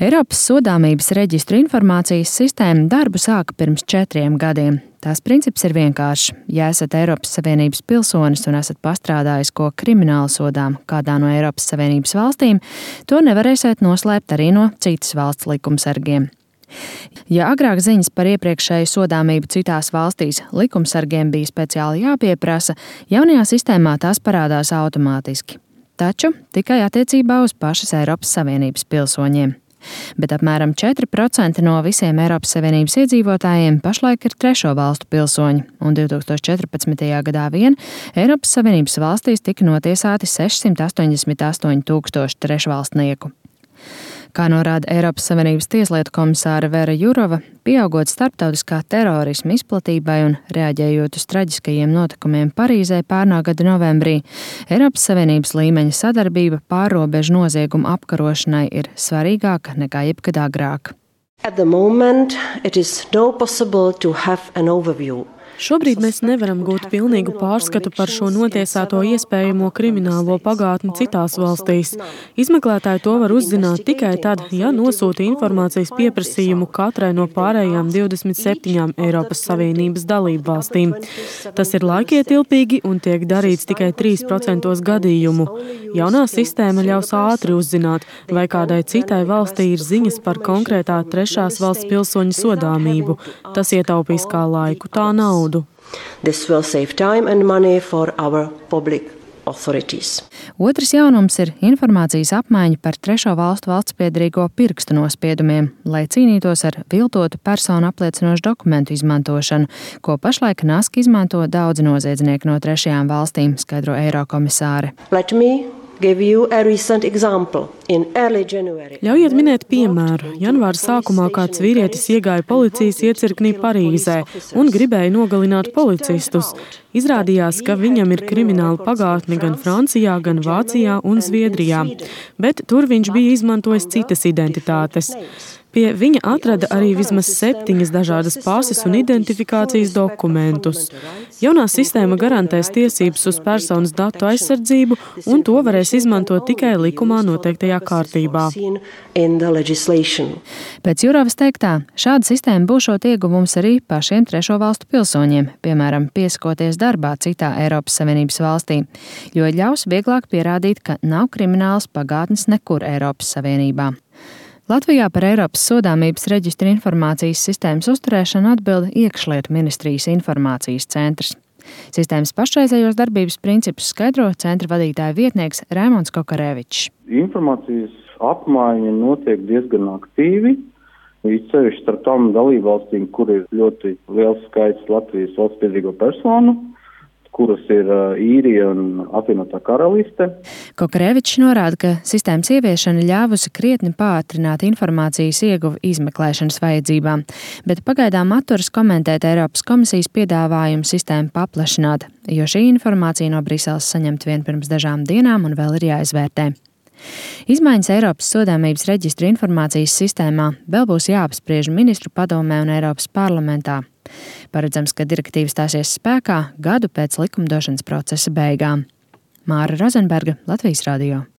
Eiropas sodāmības reģistru informācijas sistēma darbu sāka pirms 4 gadiem. Tās princips ir vienkāršs. Ja esat Eiropas Savienības pilsonis un esat pastrādājis ko krimināli sodām kādā no Eiropas Savienības valstīm, to nevarēsiet noslēpt arī no citas valsts likumsargiem. Ja agrāk ziņas par iepriekšēju sodāmību citās valstīs likumsargiem bija speciāli jāpieprasa, jaunajā sistēmā tās parādās automātiski. Taču tikai attiecībā uz pašas Eiropas Savienības pilsoņiem. Bet apmēram 4% no visiem Eiropas Savienības iedzīvotājiem pašlaik ir trešo valstu pilsoņi, un 2014. gadā vien Eiropas Savienības valstīs tika notiesāti 688 000 trešvalstnieku. Kā norāda Eiropas Savienības tieslietu komisāre Vera Jurova, pieaugot starptautiskā terorisma izplatībai un reaģējot uz traģiskajiem notikumiem Parīzē pērnā gada novembrī, Eiropas Savienības līmeņa sadarbība pārrobežu noziegumu apkarošanai ir svarīgāka nekā jebkad agrāk. At the moment, it is not possible to have an overview. Šobrīd mēs nevaram gūt pilnīgu pārskatu par šo notiesāto iespējamo kriminālo pagātni citās valstīs. Izmeklētāji to var uzzināt tikai tad, ja nosūta informācijas pieprasījumu katrai no pārējām 27 Eiropas Savienības dalību valstīm. Tas ir laikietilpīgi un tiek darīts tikai 3% gadījumu. Jaunā sistēma ļaus ātri uzzināt, vai kādai citai valstī ir ziņas par konkrētā trešās valsts pilsoņa sodāmību. Tas ietaupīs kā laiku, tā naudu. This will save time and money for our public authorities. Otrs jaunums ir informācijas apmaiņa par trešo valstu valstspiederīgo pirkstu nospiedumiem, lai cīnītos ar viltotu personu apliecinošu dokumentu izmantošanu, ko pašlaik naski izmanto daudzi noziedznieki no trešajām valstīm, skaidro Eirokomisāre. Ļaujiet minēt piemēru. Janvāra sākumā kāds vīrietis iegāja policijas iecirknī Parīzē un gribēja nogalināt policistus. Izrādījās, ka viņam ir krimināla pagātne gan Francijā, gan Vācijā un Zviedrijā, bet tur viņš bija izmantojis citas identitātes. Pie viņa atrada arī vismaz 7 dažādas pases un identifikācijas dokumentus. Jaunā sistēma garantēs tiesības uz personas datu aizsardzību, un to varēs izmantot tikai likumā noteiktajā kārtībā. Pēc Jurovas teiktā, šāda sistēma būšot ieguvums arī pašiem trešo valstu pilsoņiem, piemēram, piesakoties darbā citā Eiropas Savienības valstī, jo ļaus vieglāk pierādīt, ka nav kriminālas pagātnes nekur Eiropas Savienībā. Latvijā par Eiropas sodāmības reģistru informācijas sistēmas uzturēšanu atbild Iekšlietu ministrijas informācijas centrs. Sistēmas pašreizējos darbības principus skaidro centra vadītāja vietnieks Raimonds Kokarevičs. Informācijas apmaiņa notiek diezgan aktīvi, īpaši starp tām dalībvalstīm, kur ir ļoti liels skaits Latvijas valstspiederīgo personu, kuras ir Īrija un apvienotā karaliste. Kokarevičs norāda, ka sistēmas ieviešana ļāvusi krietni pātrināt informācijas ieguvi izmeklēšanas vajadzībām, bet pagaidām atturas komentēt Eiropas komisijas piedāvājumu sistēmu paplašināt, jo šī informācija no Briseles saņemta vien pirms dažām dienām un vēl ir jāizvērtē. Izmaiņas Eiropas sodāmības reģistru informācijas sistēmā vēl būs jāapspriež ministru padomē un Eiropas parlamentā. Paredzams, ka direktīva stāsies spēkā gadu pēc likumdošanas procesa beigām. Māra Rozenberga, Latvijas radio.